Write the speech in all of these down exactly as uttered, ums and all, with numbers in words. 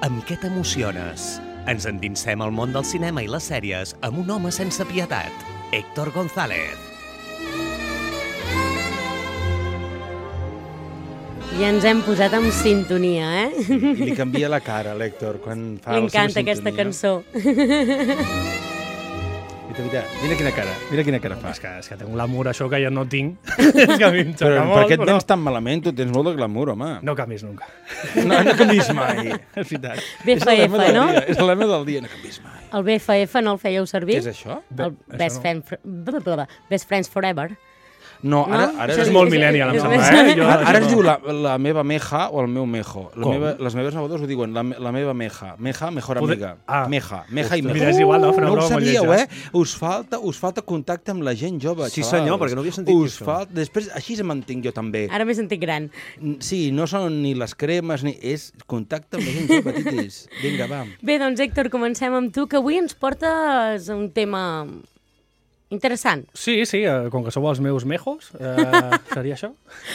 Amb què t'emociones? Ens endinsem al món del cinema i les sèries amb un home sense pietat, Héctor González. Ja ens hem posat en sintonia, eh? I li canvia la cara, l'Héctor, quan fa la seva sintonia. M'encanta aquesta cançó. I de veritat, mira quina cara, mira quina cara fa. És que, és que tinc un glamour, això que jo no tinc. És que a mi em xoca Però molt, per què et però... tens tan malament? Tu tens molt de glamour, home. No canvis nunca. No, no canvis mai. És veritat. B F F, és no? Dia, és el lema del dia, no canvis mai. El B F F no el fèieu servir? Què és això? El Best, no. Friend, Best Friends Forever. No, ara, No? ara, Això és es- molt millennial, em és- sembla, és- eh? Jo, Ara, ara es no. diu la, la meva meja o el meu mejo. La Com? meva, les meves nebades ho diuen, la, me- la meva meja. Meja, mejor Poder- amiga. Ah. Meja, meja i meja. Mira, és igual, no? Fer una No ho broma molt sabíeu, lletja. eh? Us falta, us falta contacte amb la gent jove, Sí, xavals. senyor, perquè no havia sentit us això. falta... Després, així se m'entenc jo també. Ara m'he sentit gran. Sí, no són ni les cremes, ni... És contacte amb la gent jove, titis. Vinga, va. Bé, doncs, Héctor, comencem amb tu, que avui ens portes un tema interessant. Sí, sí, eh, com que sou els meus mejos, eh, seria això?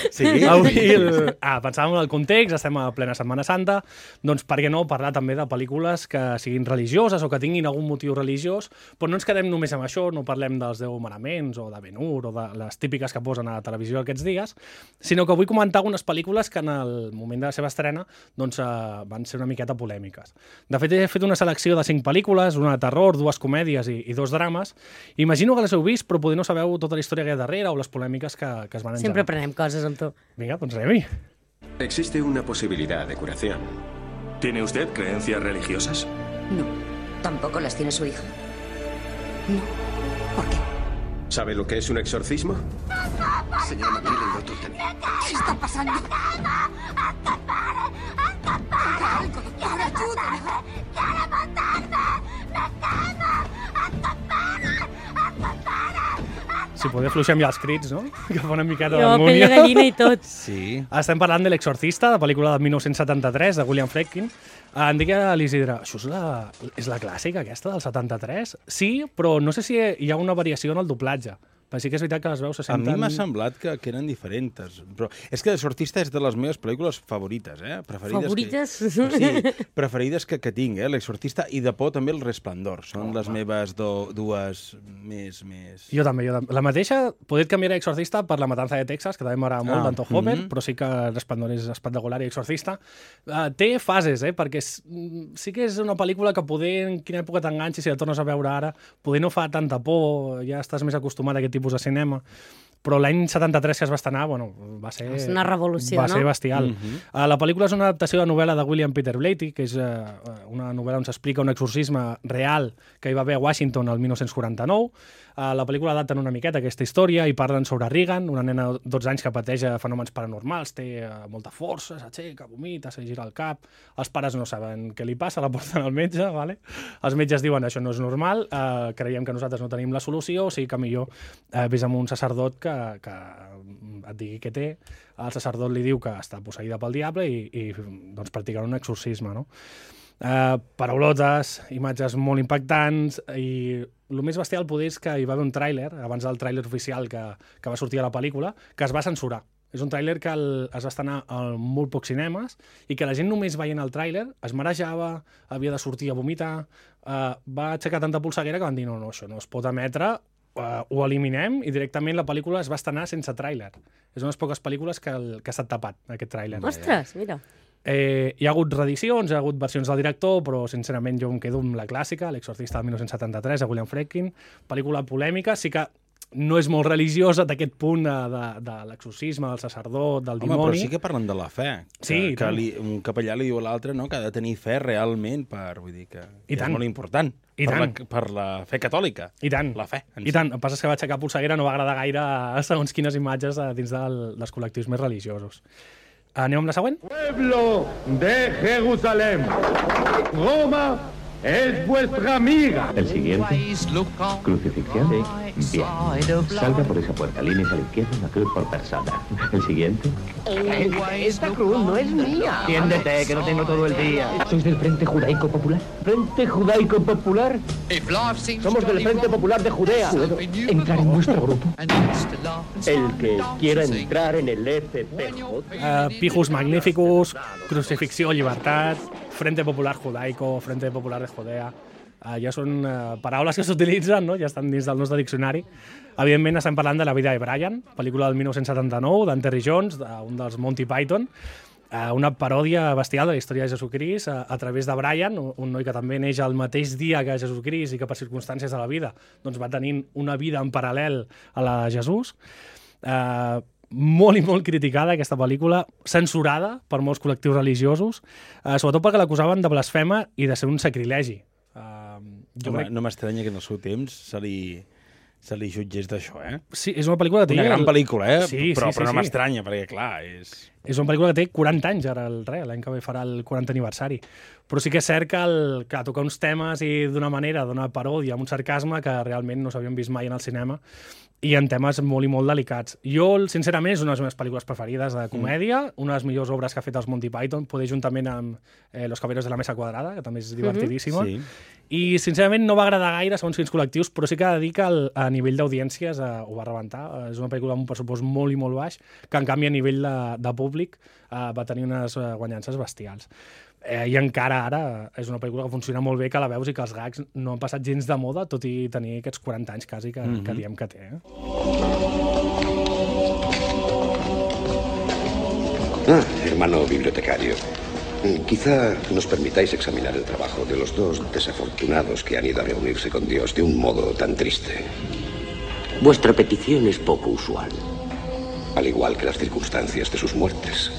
Sí? Avui, el... ah, pensàvem en el context, estem a plena Setmana Santa, doncs per què no parlar també de pel·lícules que siguin religioses o que tinguin algun motiu religiós, però no ens quedem només amb això, no parlem dels deu manaments o de Ben-Hur o de les típiques que posen a la televisió aquests dies, sinó que vull comentar algunes pel·lícules que en el moment de la seva estrena doncs, eh, van ser una miqueta polèmiques. De fet, he fet una selecció de cinc pel·lícules, una de terror, dues comèdies i, i dos drames. Imagino que les heu vist, però potser no sabeu tota la història que hi ha darrere o les polèmiques que, que es van engegar. Sempre aprenem coses amb tu. Vinga, doncs anem-hi. Existe una posibilidad de curación. ¿Tiene usted creencias religiosas? No, tampoco las tiene su hija. No. ¿Por qué? ¿Sabe lo que es un exorcismo? Señor McMillan, doctor Tenney. ¿Qué está pasando? Haga algo, doctor, ayúdame. Si poder fluixem ja els crits, no? Que fa una miqueta Jo, pell de d'harmonia. gallina i tot. Sí. Estem parlant de L'Exorcista, de pel·lícula de dinou setanta-tres, de William Friedkin. Em dic a l'Isidre, això és la, és la clàssica aquesta del setanta-tres? Sí, però no sé si hi ha una variació en el doblatge. Però sí que és veritat que les veus se A senten... mi m'ha semblat que, que eren diferents. Però és que L'Exorcista és de les meves pel·lícules favorites, eh? Preferides Favorites? Que, sí, preferides que, que tinc, eh? L'Exorcista i de por també El Resplendor. Són les meves do, dues més... més... Jo també, jo també. La mateixa, poder canviar a Exorcista per La matanza de Texas, que també m'agrada molt, Ah, d'Anton Hopper, mhm. però sí que Resplendor és espectacular i Exorcista. Uh, té fases, eh? Perquè és, mm, sí que és una pel·lícula que poder, en quina època t'enganxis, si la tornes a veure ara, poder no fa tanta por, ja estàs més acostumat a aquest tipus de cinema. Però l'any setanta-tres que es va estrenar, bueno, va ser... És una revolució, va no? ser bestial. Mhm. Uh, la pel·lícula és una adaptació de novel·la de William Peter Blatty, que és uh, una novel·la on s'explica un exorcisme real que hi va haver a Washington el dinou quaranta-nou. Uh, la pel·lícula adapten una miqueta aquesta història i parlen sobre Regan, una nena de dotze anys que pateix fenòmens paranormals, té uh, molta força, s'aixeca, vomita, se gira el cap, els pares no saben què li passa, la porten al metge, vale? Els metges diuen això no és normal, uh, creiem que nosaltres no tenim la solució, o sigui que millor uh, vés amb un sacerdot que, que et digui què té, el sacerdot li diu que està posseïda pel diable i, i doncs practicaran un exorcisme, no? Uh, paraulotes, imatges molt impactants i el més bestial poder és que hi va haver un tràiler, abans del tràiler oficial que, que va sortir a la pel·lícula, que es va censurar. És un tràiler que el, es va estrenar a molt pocs cinemes i que la gent només veient el tràiler es marejava, havia de sortir a vomitar, uh, va aixecar tanta polseguera que van dir no, no, això no es pot emetre, uh, ho eliminem i directament la pel·lícula es va estrenar sense tràiler. És una de les poques pel·lícules que, el, que ha estat tapat, aquest tràiler. Ostres, mira. Eh, hi ha hagut reedicions, hi ha hagut versions del director, però sincerament jo em quedo amb la clàssica, L'Exorcista del dinou setanta-tres, de William Friedkin, pel·lícula polèmica, sí que no és molt religiosa d'aquest punt de, de, de l'exorcisme, del sacerdot, del Home, dimoni. però sí que parlen de la fe. Que, Sí, i que tant. li, un capellà li diu a l'altre no, que ha de tenir fe realment per, vull dir que, I que tant. és molt important. I per, tant. la, per la fe catòlica. I tant. La fe. en I si. tant. El que passa és que va aixecar polseguera, no va agradar gaire a segons quines imatges a dins del, dels col·lectius més religiosos. Anem amb la següent? Pueblo de Jerusalén, Roma es vuestra amiga. El siguiente. Crucifixión. Sí. Bien. Salga por esa puerta. Líneas a la izquierda, una cruz por persona. El siguiente. Esta cruz no es mía. Tiéndete, que no tengo todo el día. ¿Sois del Frente Judaico Popular? ¿Frente Judaico Popular? Somos del Frente Popular de Judea. ¿Puedo entrar en vuestro grupo? El que quiera entrar en el F P J. Uh, Pijos Magnificus, Crucifixió, Llibertat, Frente Popular Judaico, Frente Popular de Judea, uh, ja són uh, paraules que s'utilitzen, no? Ja estan dins del nostre diccionari. Evidentment estem parlant de La vida de Brian, pel·lícula del dinou setanta-nou, d'en Terry Jones, un dels Monty Python, uh, una paròdia bestial de la història de Jesucrist uh, a través de Brian, un noi que també neix el mateix dia que Jesucrist i que per circumstàncies de la vida doncs va tenint una vida en paral·lel a la de Jesús. Uh, molt i molt criticada aquesta pel·lícula, censurada per molts col·lectius religiosos, eh, sobretot perquè l'acusaven de blasfema i de ser un sacrilegi. Uh, jo Home, crec... No m'estranya que en el seu temps se li, se li jutgés d'això, eh? Sí, és una pel·lícula que té... Una gran pel·lícula, eh? Sí, però, sí, sí, però no sí. m'estranya, perquè, clar, és... És una pel·lícula que té quaranta anys, ara, el re, l'any que ve farà el quaranta aniversari. Però sí que és cert que, el, que toca uns temes i d'una manera, d'una paròdia, amb un sarcasme que realment no s'havien vist mai en el cinema i en temes molt i molt delicats. Jo, sincerament, és una de les meves pel·lícules preferides de comèdia, mm. una de les millors obres que ha fet els Monty Python, poder juntament amb eh, Los Caballeros de la Mesa Quadrada, que també és divertidíssima. Mm-hmm. Sí. I, sincerament, no va agradar gaire segons quins col·lectius, però sí que ha de dir que el, a nivell d'audiències eh, ho va rebentar. Eh, és una pel·lícula amb un pressupost molt i molt baix, que, en canvi, a nivell de, de públic eh, va tenir unes eh, guanyances bestials. Eh, I encara ara és una pel·lícula que funciona molt bé, que la veus i que els gags no han passat gens de moda, tot i tenir aquests quaranta anys quasi que, mm-hmm. que diem que té. Eh? Ah, hermano bibliotecario. Quizá nos permitáis examinar el trabajo de los dos desafortunados que han ido a reunirse con Dios de un modo tan triste. Vuestra petición es poco usual. Al igual que las circunstancias de sus muertes.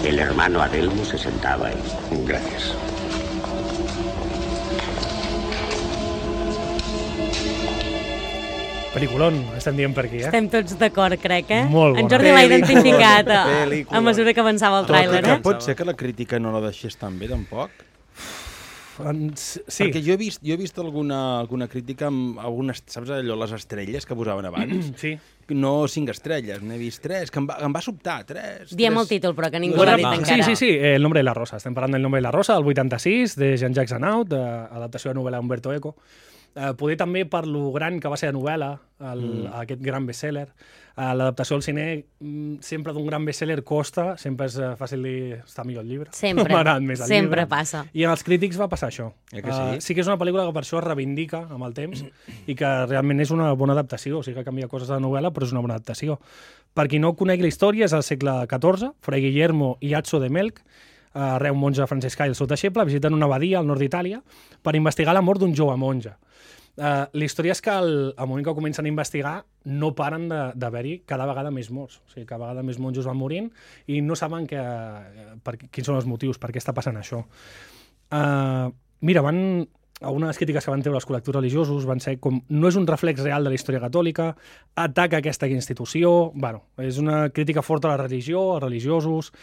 El hermano Adelmo se sentaba ahí. Gracias. Peliculón, estem dient per aquí, eh? Estem tots d'acord, crec, eh? Molt bona. En Jordi l'ha identificat a, Pel·lícula. a mesura que avançava el tràiler, que eh? pot ser que la crítica no la deixés tan bé, tampoc? Sí. Perquè jo he vist, jo he vist alguna, alguna crítica amb algunes, saps allò, les estrelles que posaven abans? Sí. No cinc estrelles, n'he vist tres, que em va, em va sobtar, tres. Diem tres... el títol, però que ningú l'ha dit encara. Sí, sí, sí, El nombre de la rosa. Estem parlant del nombre de la rosa, del vuitanta-sis, de Jean-Jacques Arnaud, adaptació de novel·la Umberto Eco. Uh, poder també per lo gran que va ser la novel·la, el, mm. aquest gran best-seller. Uh, L'adaptació al cine, mm, sempre d'un gran best-seller costa, sempre és uh, fàcil dir està millor el llibre. Sempre, més el sempre llibre. passa. I en els crítics va passar això. Eh que sí? Uh, sí que és una pel·lícula que per això es reivindica amb el temps i que realment és una bona adaptació, o sigui que canvia coses de la novel·la, però és una bona adaptació. Per qui no conegui la història, és al segle catorze, Fray Guillermo i Azzo de Melk, uh, re un monge franciscà i el seu deixeble, visiten una abadia al nord d'Itàlia per investigar la mort d'un jove monge. Uh, la història és que el, al moment que comencen a investigar no paren d'haver-hi cada vegada més morts. O sigui, cada vegada més monjos van morint i no saben que, per, quins són els motius, per què està passant això. Uh, mira, van, algunes crítiques que van treure els col·lectius religiosos van ser com no és un reflex real de la història catòlica, ataca aquesta institució... Bueno, és una crítica forta a la religió, als religiosos...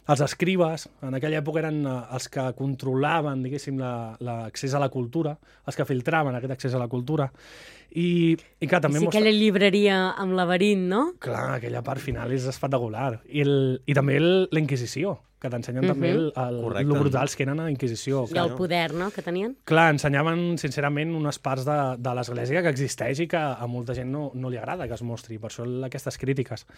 Els escribes, en aquella època eren els que controlaven, diguéssim, l'accés a la cultura, els que filtraven aquest accés a la cultura. I, i clar, també sí, mostra... aquella llibreria amb laberint, no? Clar, aquella part final és espectacular. I, el, i també el, la Inquisició, que t'ensenyen uh-huh. també el, el, el brutals que eren a la Inquisició. I el poder, no?, que tenien. Clar, ensenyaven, sincerament, unes parts de, de l'Església que existeix i que a molta gent no, no li agrada que es mostri. Per això aquestes crítiques.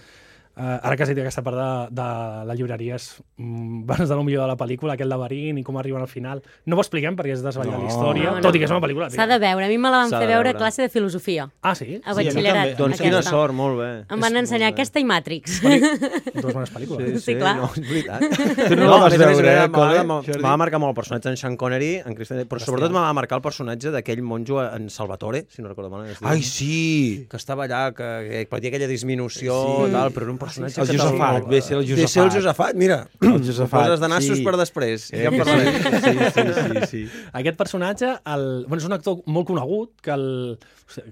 Uh, ara que has dit aquesta part de, de la llibreria és mm, abans de lo millor de la pel·lícula, aquell laberint i com arriben al final. No ho expliquem perquè és desvetllar no, la història, no, no. tot i que és una pel·lícula. S'ha de veure. A mi me la van fer veure a classe de filosofia. Ah, sí? A batxillerat. Sí, doncs quina sort, molt bé. Em van ensenyar aquesta i Matrix. Dues bones pel·lícules. Sí, sí, clar. No, és veritat. Tu no, no la vas veure, eh, M'ha va marcar molt el personatge d'en Sean Connery, en Christian, però sobretot m'ha va marcar el personatge d'aquell monjo en Salvatore, si no recordo mal. Ai, sí! Que estava allà, que, que patia aquella disminució, sí. tal, però era un personatge... El Josafat, ve ser el Josafat. Ve ser el Josafat, mira. El Josafat, poses de nassos sí. per després. Eh, ja sí, sí, sí, sí, sí. Aquest personatge, el, bueno, és un actor molt conegut, que el...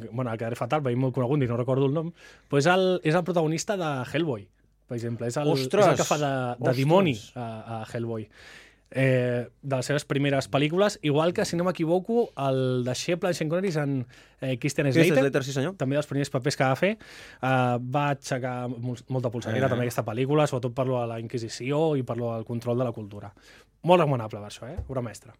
Bueno, el quedaré fatal, perquè és molt conegut i no recordo el nom, però és el, és el protagonista de Hellboy, per exemple. És el, Ostres! És el que fa de, de dimoni a, a Hellboy. Eh, de les seves primeres pel·lícules, igual que, si no m'equivoco, el deixeble de Sean Connery és en eh, Christian Slater, Slater, sí senyor. També dels primers papers que va fer. Eh, va aixecar molta polseguera eh. també aquesta pel·lícula, sobretot per lo de la Inquisició i per lo del control de la cultura. Molt recomanable per això, eh? Obra mestra.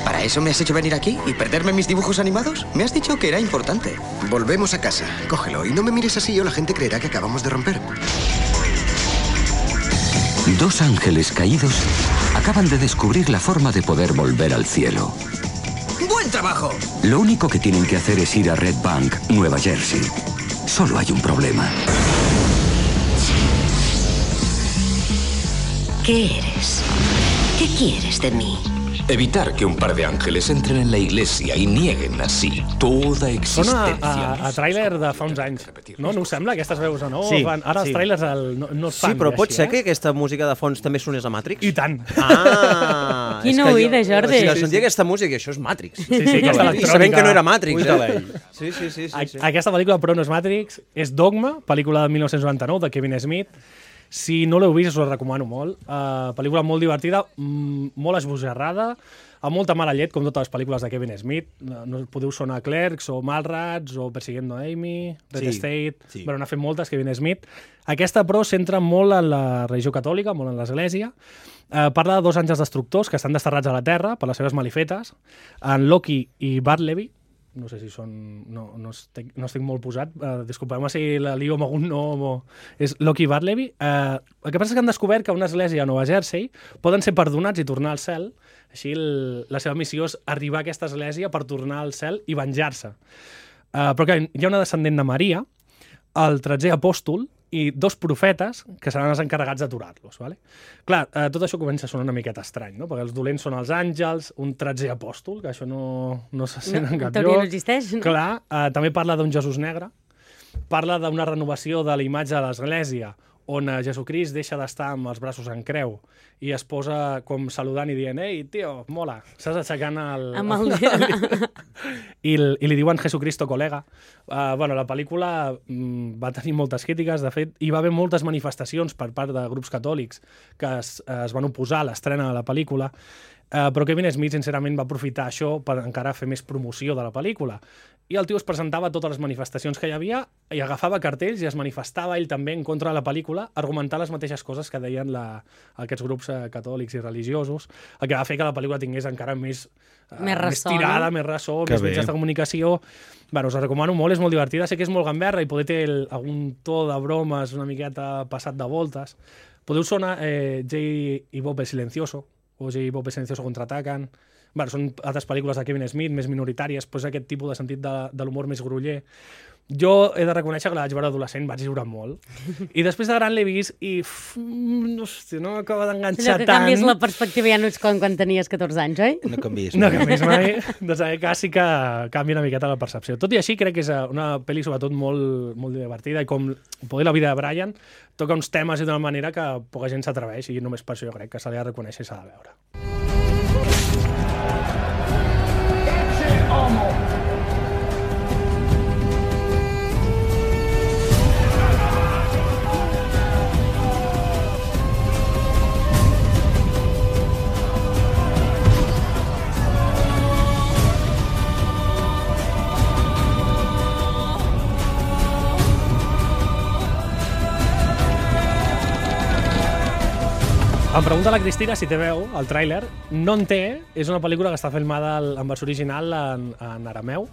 ¿Para eso me has hecho venir aquí y perderme mis dibujos animados? Me has dicho que era importante. Volvemos a casa. Cógelo y no me mires así o la gente creerá que acabamos de romper. Dos ángeles caídos acaban de descubrir la forma de poder volver al cielo. ¡Buen trabajo! Lo único que tienen que hacer es ir a Red Bank, Nueva Jersey. Solo hay un problema. ¿Qué eres? ¿Qué quieres de mí? Evitar que un par de ángeles entren en la iglesia i nieguen així toda existència. Sona a, a tràiler de fa uns anys, no? No us sembla, aquestes veus o no? Sí, Fan, ara sí. els tràilers el, no, no es fan. Sí, però pot així, ser eh? que aquesta música de fons també sonés a Matrix? I tant. Ah! Quina oïda, Jordi. Si no sentia aquesta música, això és Matrix. Sí, sí, aquesta electrònica. Sabent que no era Matrix, eh? Sí, sí, sí. sí, sí. Aquesta pel·lícula, però, no és Matrix, és Dogma, pel·lícula de mil nou-cents noranta-nou, de Kevin Smith. Si no l'heu vist, us la recomano molt. Uh, pel·lícula molt divertida, molt esbojarrada, amb molta mala llet, com totes les pel·lícules de Kevin Smith. No podeu sonar Clerks, o Mallrats, o Persiguiendo a Amy, Red Sí, State... sí. Bueno, n'ha fet moltes, Kevin Smith. Aquesta, però, centra molt en la religió catòlica, molt en l'església. Uh, parla de dos àngels destructors que estan desterrats a la Terra per les seves malifetes, en Loki i Bartleby. No sé si són... No, no, estic, no estic molt posat. Uh, disculpeu-me si la lio amb algun nom o... És Loki i Bartleby. Uh, el que passa és que han descobert que una església a Nova Jersey poden ser perdonats i tornar al cel. Així el, la seva missió és arribar a aquesta església per tornar al cel i venjar-se. Uh, però que hi ha una descendent de Maria, el tretzè apòstol, i dos profetes que seran els encarregats d'aturar-los. Vale? Clar, eh, tot això comença a sonar una miqueta estrany, no? Perquè els dolents són els àngels, un tretzè apòstol, que això no, no se sent No, en cap en teoria lloc. no existeix, no? Clar, eh, també parla d'un Jesús negre, parla d'una renovació de la imatge de l'Església, on eh, Jesucrist deixa d'estar amb els braços en creu i es posa com saludant i dient «Ei, tio, mola!» Saps, aixecant el... Amb el... I, el, i li diuen Jesucristo colega. Uh, bueno, la pel·lícula mm, va tenir moltes crítiques, de fet, hi va haver moltes manifestacions per part de grups catòlics que es, es van oposar a l'estrena de la pel·lícula, uh, però Kevin Smith, sincerament, va aprofitar això per encara fer més promoció de la pel·lícula. I el tio es presentava a totes les manifestacions que hi havia i agafava cartells i es manifestava ell també en contra de la pel·lícula, argumentant les mateixes coses que deien la, aquests grups eh, catòlics i religiosos, el que va fer que la pel·lícula tingués encara més, eh, Més ressò, més tirada, no? més ressò, Que més bé. mitjans de comunicació. Bueno, us la recomano molt, és molt divertida, sé que és molt gamberra i poder té el, algun to de bromes una miqueta passat de voltes. Podeu sonar eh, Jay i Bob el Silencioso, o Jay i Bob el Silencioso contraatacan. Bueno, són altres pel·lícules de Kevin Smith, més minoritàries, però és aquest tipus de sentit de, de l'humor més gruller. Jo he de reconèixer que la vaig veure adolescent, vaig riure molt. I després de gran l'he vist i... Uf, hòstia, no m'acaba d'enganxar Allò que tant. canvies la perspectiva ja no és com quan tenies catorze anys, oi? No canvies. No canvies mai. Doncs en aquest cas sí que canvia una miqueta la percepció. Tot i així, crec que és una pel·li sobretot molt, molt divertida i com poder la vida de Brian toca uns temes i d'una manera que poca gent s'atreveix i només per això jo crec que se li ha de reconèixer i s'ha de veure. Em pregunta la Cristina si té veu, el tràiler. No en té, és una pel·lícula que està filmada en versió original en, en arameu,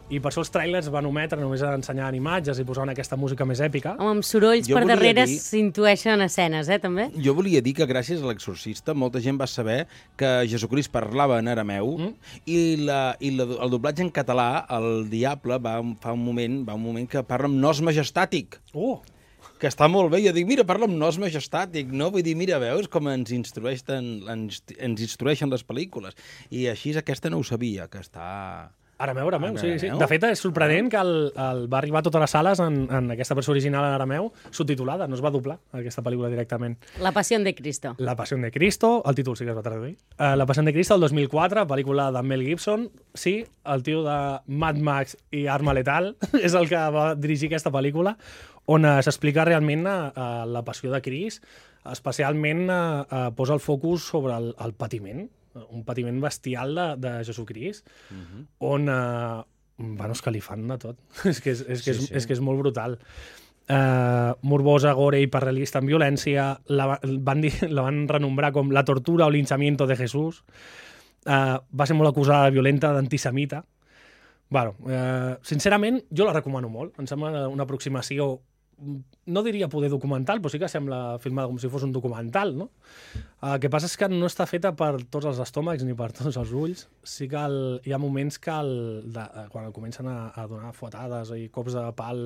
i per això els tràilers van ometre, només ensenyaven imatges i posaven aquesta música més èpica. Home, amb sorolls Jo per volia darrere dir- s'intueixen escenes, eh, també? Jo volia dir que gràcies a l'Exorcista molta gent va saber que Jesucrist parlava en arameu mm. i, la, i la, el doblatge en català, el Diable, va, fa un moment, va un moment que parla amb nos majestàtic. Oh! Que està molt bé. Jo dic, mira, parla amb nos majestàtic, no? Vull dir, mira, veus com ens instrueixen, ens, ens instrueixen les pel·lícules. I així aquesta no ho sabia, que està... Arameu, arameu, En sí, sí. arameu? De fet, és sorprenent que el, el va arribar a totes les sales en, en aquesta versió original en arameu, subtitulada, no es va doblar aquesta pel·lícula directament. La Passió de Cristo. La Passió de Cristo, el títol sí que es va traduir. Uh, La Passió de Cristo, el dos mil quatre, pel·lícula de Mel Gibson. Sí, el tio de Mad Max i Arma Letal és el que va dirigir aquesta pel·lícula, on uh, s'explica realment uh, la passió de Crist, especialment uh, uh, posa el focus sobre el, el patiment, un patiment bestial de, de Jesucrist, uh -huh. on, uh, bueno, és que li fan de tot. és, que és, és, que és, Sí, sí. és que és molt brutal. Uh, morbosa, gore, hiperrealista en violència, la van, dir, la van renombrar com la tortura o linchamiento de Jesús. Uh, va ser molt acusada de violenta, d'antisemita. Bueno, uh, sincerament, jo la recomano molt. Em sembla una aproximació, no diria poder documental, però sí que sembla filmada com si fos un documental, no? El que passa és que no està feta per tots els estómacs ni per tots els ulls. Sí que el, hi ha moments que el, de, quan el comencen a, a donar fuetades i cops de pal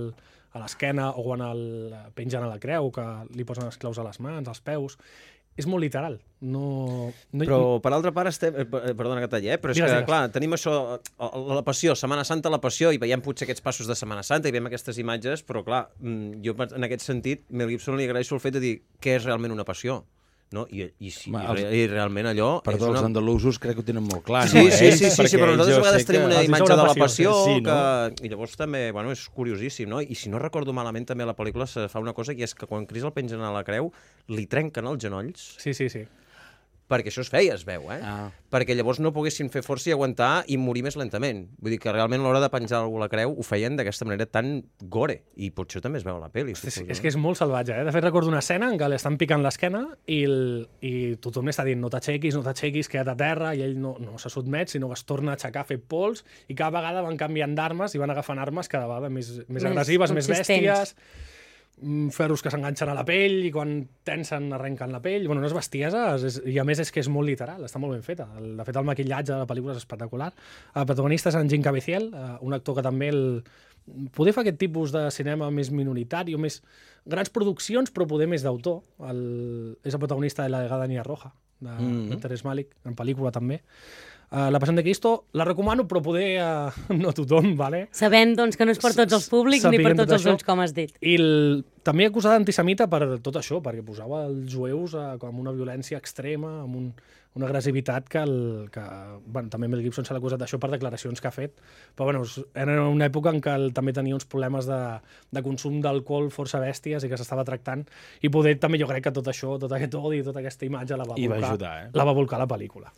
a l'esquena o quan el pengen a la creu, que li posen les claus a les mans, als peus, és molt literal. No, no... Però, per altra part, estem... Perdona que talli, eh? Però és digues, que, digues. clar, tenim això, la passió, Setmana Santa, la passió, i veiem potser aquests passos de Setmana Santa i veiem aquestes imatges, però, clar, jo en aquest sentit, Mel Gibson li agraeixo el fet de dir què és realment una passió. No? I, i, si, Ma, els... i realment allò... Perdó, és una... els andalusos crec que ho tenen molt clar. Sí, no? sí, sí, sí, sí, sí, però nosaltres a vegades tenim una imatge de la passió sí, que... no? I llavors també, bueno, és curiosíssim, no? I si no recordo malament, també a la pel·lícula se fa una cosa que és que quan Crist el pengen a la creu, li trenquen els genolls. Sí, sí, sí. Perquè això es feia, es veu, eh? Ah. Perquè llavors no poguessin fer força i aguantar i morir més lentament. Vull dir que realment a l'hora de penjar algú a la creu ho feien d'aquesta manera tan gore. I potser també es veu a la pel·li. Sí, sí, és que és molt salvatge, eh? De fet, recordo una escena en què li estan picant l'esquena i, el, i tothom li està dient no t'aixequis, no t'aixequis, queda't a terra, i ell no, no se sotmet, sinó que es torna a aixecar, a fer pols, i cada vegada van canviant d'armes i van agafant armes cada vegada més, més, més agressives, més bèsties, ferros que s'enganxen a la pell i quan tensen arrenquen la pell. Bueno, unes bestieses, és, i a més és que és molt literal, està molt ben feta. El, de fet, el maquillatge de la pel·lícula és espectacular. El protagonista és en Jim Caviezel, un actor que també el, poder fer aquest tipus de cinema més minoritari o més grans produccions, però poder més d'autor. El, és el protagonista de La Vegada Nia Roja, de, mm-hmm. de Terrence Malick, en pel·lícula també. Uh, la Passió de Cristo la recomano, però poder uh, no tothom, vale? Sabent doncs, que no és per tots els públics ni per tots els ulls, com has dit. I el, també acusada d'antisemita per tot això, perquè posava els jueus uh, com una violència extrema, amb un, una agressivitat que, el, que bueno, també Mel Gibson se l'ha acusat d'això per declaracions que ha fet, però bueno, era una època en què el, també tenia uns problemes de, de consum d'alcohol força bèsties i que s'estava tractant, i poder també jo crec que tot això, tot aquest odi, tota aquesta imatge la va volcar, va ajudar, eh? la va volcar la pel·lícula.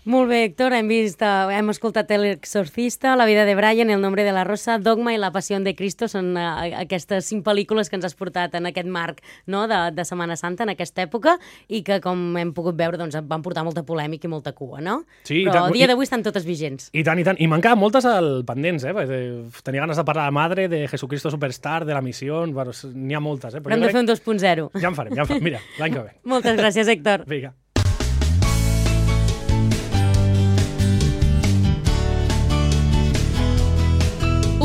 Molt bé, Héctor, hem vist, uh, hem escoltat El Exorcista, La vida de Brian, El nombre de la rosa, Dogma i La Passió de Cristo. Són uh, aquestes cinc pel·lícules que ens has portat en aquest marc, no?, de, de Setmana Santa, en aquesta època, i que, com hem pogut veure, doncs, van portar molta polèmica i molta cua, no? Sí, però tant, a dia d'avui estan totes vigents. I tant, i tant. I m'han quedat moltes al pendents, eh? Tenia ganes de parlar de Madre, de Jesucristo Superstar, de La Misión, bueno, n'hi ha moltes, eh? Però hem de fer un dos punt zero. Ja en farem, ja en farem. Mira, l'any que ve. Moltes gràcies, Héctor. Vinga.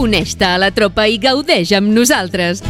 Uneix-te a la tropa i gaudeix amb nosaltres.